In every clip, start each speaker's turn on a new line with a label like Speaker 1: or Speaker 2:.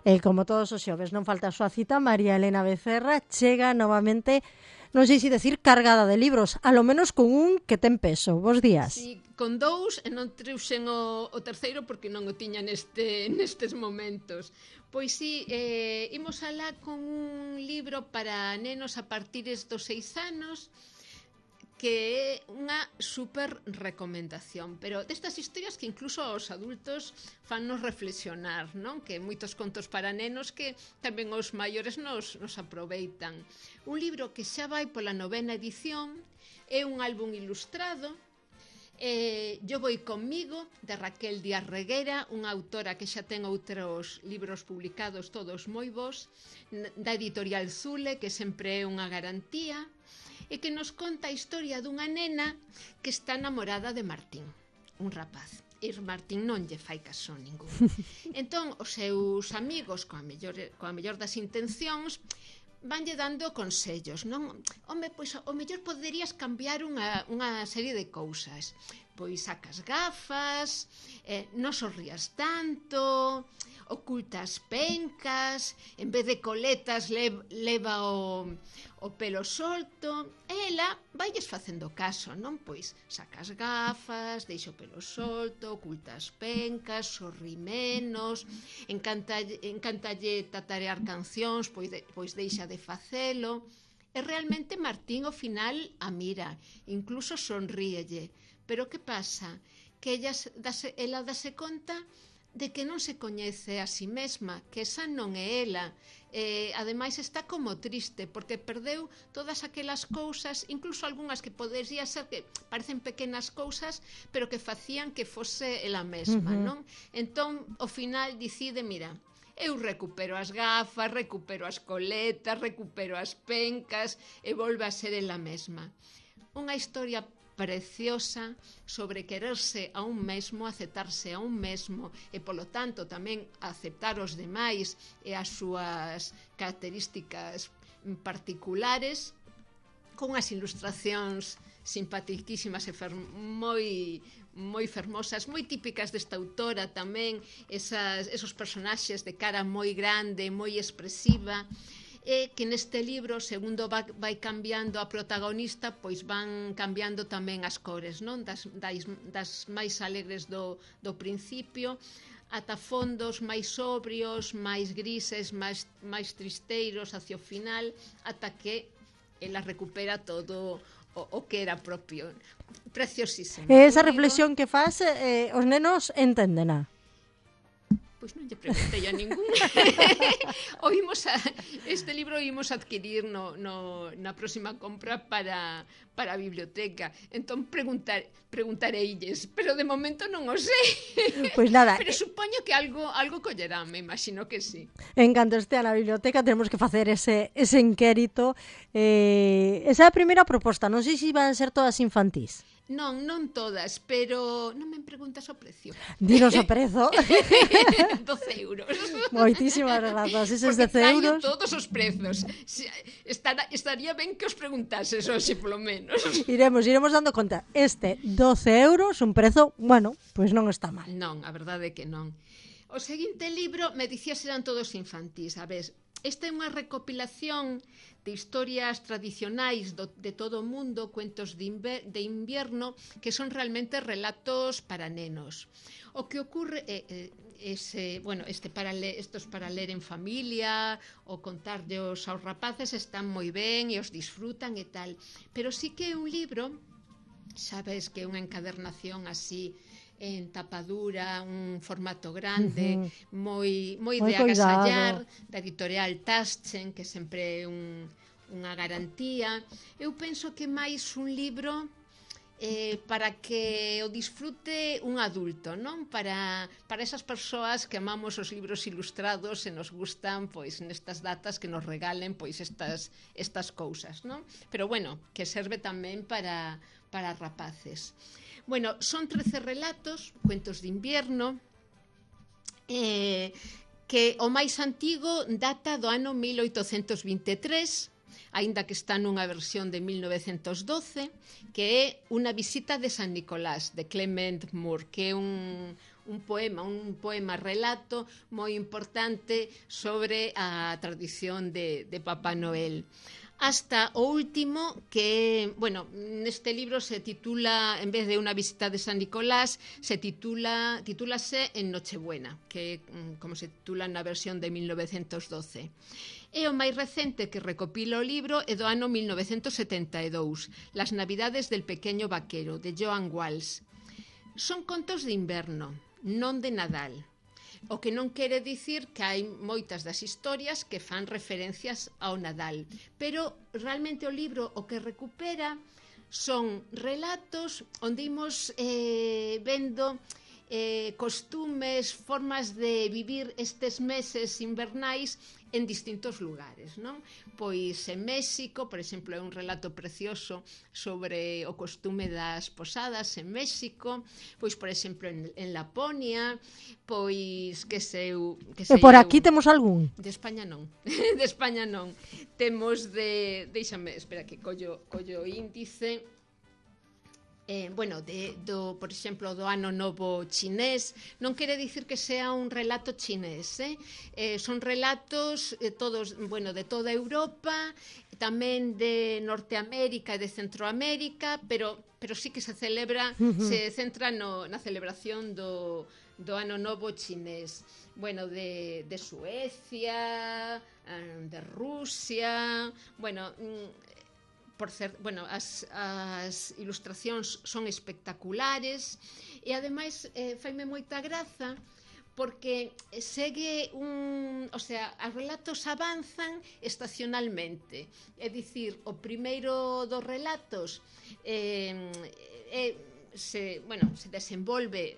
Speaker 1: E como todos os xoves non falta a súa cita, María Elena Becerra chega novamente, non sei se decir cargada de libros, a lo menos con un que ten peso. Bos días.
Speaker 2: Sí, con dous e non trouxen o terceiro porque non o tiña nestes momentos. Pois sí, imos alá con un libro para nenos a partir dos 6 anos, que é unha super recomendación, pero destas historias que incluso os adultos fannos reflexionar, non? Que moitos contos para nenos que tamén os maiores nos aproveitan. Un libro que xa vai pola 9ª edición, é un álbum ilustrado, Yo voy conmigo, de Raquel Díaz Reguera, unha autora que xa ten outros libros publicados todos moi bons, da editorial Zule, que sempre é unha garantía, e que nos conta a historia dunha nena que está namorada de Martín, un rapaz. E Martín non lle fai caso ningún. Entón, os seus amigos, coa mellor das intencións, vanlle dando consellos, non? Home, pois o mellor poderías cambiar unha serie de cousas. Pois sacas gafas, non sorrías tanto, ocultas pencas, en vez de coletas leva o pelo solto. E ela vailles facendo caso, non? Pois sacas gafas, deixa o pelo solto, ocultas pencas, sorrí menos, encantalle tatarear cancións, pois deixa de facelo. E realmente Martín ao final a mira, incluso sonríelle. Pero que pasa? Que ela dase conta de que non se coñece a si mesma, que esa non é ela. Ademais está como triste, porque perdeu todas aquelas cousas, incluso algunhas que podería ser que parecen pequenas cousas, pero que facían que fose ela mesma, non? Entón, ao final decide, mira, eu recupero as gafas, recupero as coletas, recupero as pencas e volve a ser ela mesma. Unha historia preciosa sobre quererse a un mesmo, aceptarse a un mesmo e, polo tanto, tamén aceptar os demais e as súas características particulares, con as ilustracións simpatiquísimas e moi fermosas, moi típicas desta autora tamén, esos personaxes de cara moi grande, moi expresiva, e que neste libro, segundo vai cambiando a protagonista, pois van cambiando tamén as cores, non? Das máis alegres do principio ata fondos máis sobrios, máis grises, máis tristeiros hacia o final, ata que ela recupera todo o que era propio. Preciosísimo.
Speaker 1: E esa reflexión que faz, os nenos enténdena.
Speaker 2: Pois non lle preguntei a ningún. Este libro o imos adquirir na próxima compra para a biblioteca. Entón preguntareilles, pero de momento non o sei.
Speaker 1: Pois nada.
Speaker 2: Pero supoño que algo collerán, me imagino que sí.
Speaker 1: En canto estea na biblioteca temos que facer ese inquérito. Esa é a primeira proposta. Non sei se van ser todas infantís.
Speaker 2: Non todas, pero non me preguntas o precio.
Speaker 1: Dinos o prezo.
Speaker 2: 12 euros.
Speaker 1: Moitísimas grazas. Eses 10 euros.
Speaker 2: Todos os prezos. Estaría ben que os preguntases hoxe, polo menos.
Speaker 1: Iremos dando conta. 12 euros, un prezo, bueno, pois non está mal.
Speaker 2: Non, a verdade é que non. O seguinte libro, me dicías, eran todos infantís. A ver, esta é unha recopilación de historias tradicionais de todo o mundo, cuentos de invierno, que son realmente relatos para nenos. O que ocurre estos para ler en familia ou contarllos aos rapaces están moi ben e os disfrutan e tal. Pero sí que é un libro, sabes que é unha encadernación así en tapadura, un formato grande, moi de agasallar, da editorial Taschen, que sempre é unha garantía. Eu penso que máis un libro para que o disfrute un adulto, non? Para esas persoas que amamos os libros ilustrados e nos gustan, pois, nestas datas que nos regalen, pois, estas cousas, non? Pero, bueno, que serve tamén para rapaces. Bueno, son 13 relatos, cuentos de invierno, que o máis antigo data do ano 1823, aínda que está nunha versión de 1912, que é Unha visita de San Nicolás, de Clement Moore, que é un poema relato moi importante sobre a tradición de Papá Noel. Hasta o último que, bueno, neste libro se titula, en vez de Una visita de San Nicolás, titúlase En Nochebuena, que como se titula na versión de 1912. E o máis recente que recopila o libro é do ano 1972, Las Navidades del pequeño vaquero, de Joan Walsh. Son contos de inverno, non de Nadal. O que non quere dicir que hai moitas das historias que fan referencias ao Nadal, pero realmente o libro o que recupera son relatos onde imos vendo costumes, formas de vivir estes meses invernais en distintos lugares, non? Pois en México, por exemplo, é un relato precioso sobre o costume das posadas en México, pois, por exemplo, en Laponia, pois, que sei
Speaker 1: E por aquí temos algún?
Speaker 2: De España non. De España non. Temos deixame, espera que collo o índice. Bueno, por exemplo, do Ano Novo chinés, non quere dicir que sea un relato chinés, son relatos todos, bueno, de toda Europa, tamén de Norteamérica e de Centroamérica, pero sí que se celebra, se centra na celebración do Ano Novo chinés. Bueno, de Suecia, de Rusia, bueno, as ilustracións son espectaculares e ademais faime moita graza porque segue os relatos avanzan estacionalmente, é dicir, o primeiro dos relatos se desenvolve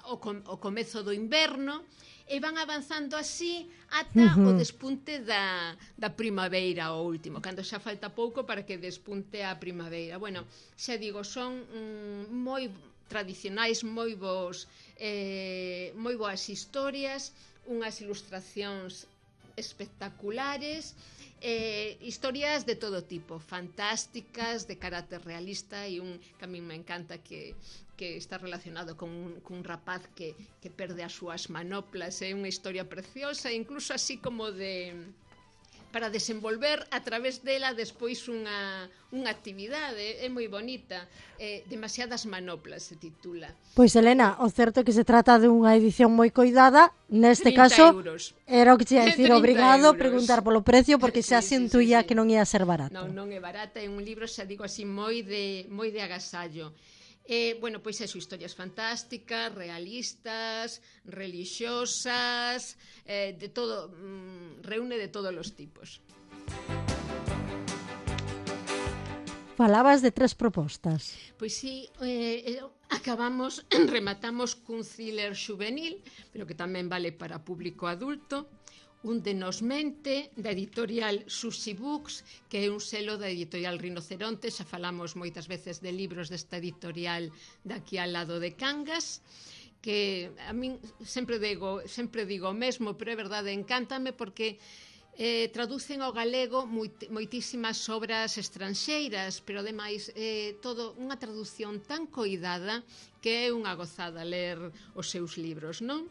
Speaker 2: o comezo do inverno e van avanzando así ata o despunte da primavera, o último, cando xa falta pouco para que despunte a primavera. Bueno, xa digo, son moi tradicionais, moi boas historias, unhas ilustracións espectaculares, historias de todo tipo, fantásticas, de carácter realista, e un que a mí me encanta que está relacionado cun rapaz que perde as súas manoplas. É unha historia preciosa, incluso así como para desenvolver a través dela despois unha actividade. É moi bonita. Demasiadas manoplas se titula.
Speaker 1: Pois, Elena, o certo é que se trata de unha edición moi coidada. Neste caso, era o que te ia dicir, obrigado a preguntar polo precio, porque xa sintuía que non ia ser barato.
Speaker 2: Non é barata, é un libro, xa digo así, moi de agasallo. Bueno, pois eso, historias fantásticas, realistas, religiosas, de todo, reúne de todos os tipos.
Speaker 1: Falabas de 3 propostas.
Speaker 2: Pois sí, rematamos cun thriller juvenil, pero que tamén vale para público adulto, un de Nos mente, da editorial Sushi Books, que é un selo da editorial Rinoceronte. Xa falamos moitas veces de libros desta editorial daqui ao lado de Cangas, que a min sempre digo o mesmo, pero é verdade, encántame porque traducen ao galego moitísimas obras estranxeiras, pero ademais todo unha traducción tan coidada que é unha gozada ler os seus libros, non?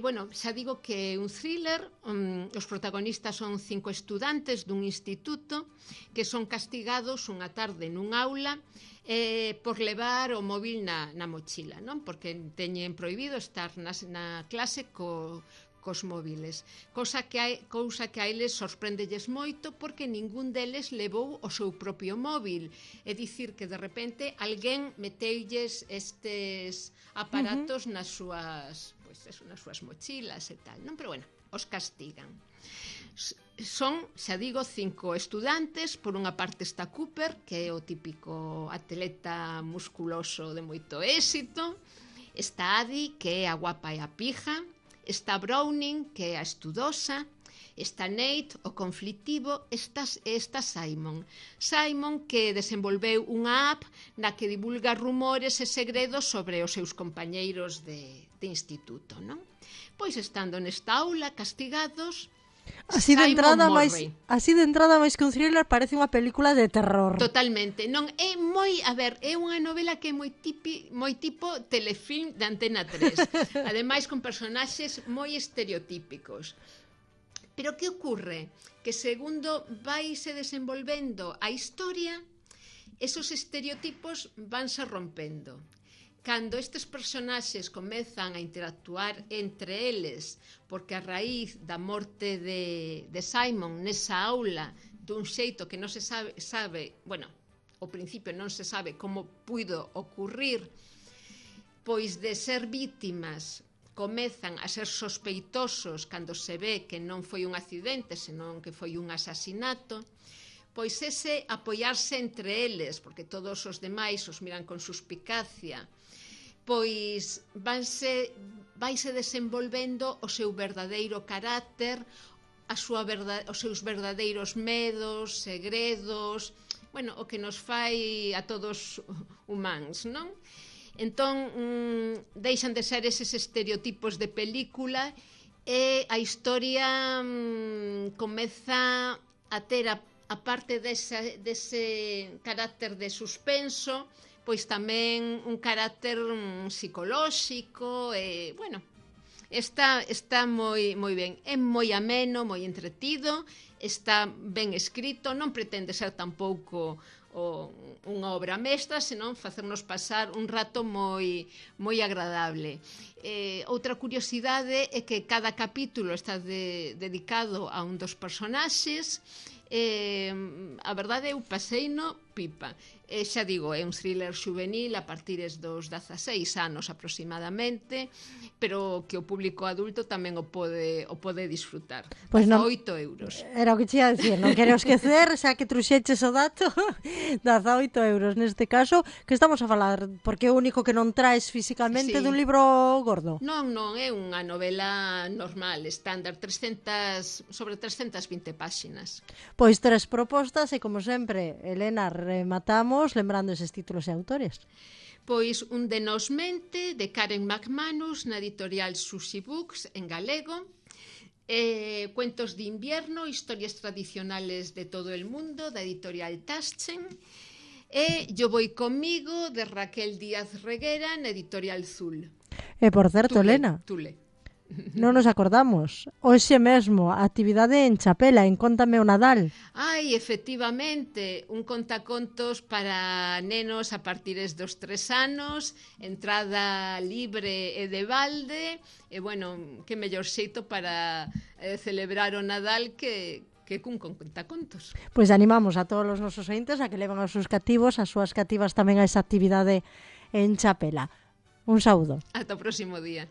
Speaker 2: Bueno, xa digo que é un thriller. Os protagonistas son 5 estudantes dun instituto que son castigados unha tarde nun aula por levar o móvil na mochila, non? Porque teñen prohibido estar na clase cos móviles, cousa que a eles sorpréndelles moito porque ningún deles levou o seu propio móvil. É dicir, que de repente alguén meteulles estes aparatos nas súas mochilas e tal, non? Pero bueno, os castigan. Son, xa digo, 5 estudantes. Por unha parte está Cooper, que é o típico atleta musculoso de moito éxito. Está Addie, que é a guapa e a pija. Está Browning, que é a estudosa. Está Nate, o conflitivo. Está Simon, que desenvolveu unha app na que divulga rumores e segredos sobre os seus compañeiros de instituto, non? Pois estando nesta aula castigados,
Speaker 1: Así de entrada máis que un thriller parece unha película de terror.
Speaker 2: Totalmente. Non é é unha novela que é moi tipo telefilm de Antena 3. Ademais con personaxes moi estereotípicos. Pero que ocorre? Que segundo vaise desenvolvendo a historia, esos estereotipos vanse rompendo. Cando estes personaxes comezan a interactuar entre eles, porque a raíz da morte de Simon nesa aula, dun xeito que non se sabe, bueno, ao principio non se sabe como puido ocurrir, pois de ser vítimas comezan a ser sospeitosos cando se ve que non foi un accidente, senón que foi un asasinato, pois ese apoiarse entre eles, porque todos os demais os miran con suspicacia, pois vaise desenvolvendo o seu verdadeiro carácter, os seus verdadeiros medos, segredos, bueno, o que nos fai a todos humanos, non? Entón, deixan de ser eses estereotipos de película e a historia comeza a ter a parte dese carácter de suspenso, pois tamén un carácter psicolóxico e, bueno, está moi ben. É moi ameno, moi entretido, está ben escrito, non pretende ser tampouco unha obra mestra, senón facernos pasar un rato moi agradable. Outra curiosidade é que cada capítulo está dedicado a un dos personaxes. A verdade eu paseino pipa. Xa digo, é un thriller juvenil a partires dos 16 anos aproximadamente, pero que o público adulto tamén o pode disfrutar.
Speaker 1: Pois
Speaker 2: non, 8 euros.
Speaker 1: Era o que te ia dicir, non quero esquecer, xa que truxeches o dato, 18 euros neste caso, que estamos a falar, porque é o único que non traes físicamente dun libro gordo.
Speaker 2: Non, é unha novela normal, estándar, sobre 320 páxinas.
Speaker 1: Pois 3 propostas e, como sempre, Elena, rematamos lembrando eses títulos e autores.
Speaker 2: Pois Un de Nos Mente, de Karen McManus, na editorial Sushi Books, en galego. Cuentos de invierno, historias tradicionales de todo el mundo, da editorial Taschen. Yo voy conmigo, de Raquel Díaz Reguera, na editorial Zul.
Speaker 1: E por certo, Elena, non nos acordamos. Hoxe mesmo, a actividade en Chapela, en Cóntame o Nadal.
Speaker 2: Ai, efectivamente, un contacontos para nenos a partires dos 3 anos, entrada libre e de balde, e, bueno, que mellor xeito para celebrar o Nadal que cun contacontos.
Speaker 1: Pois animamos a todos os nosos ointes a que leven os seus cativos, as súas cativas tamén a esa actividade en Chapela. Un saúdo.
Speaker 2: Ata o próximo día.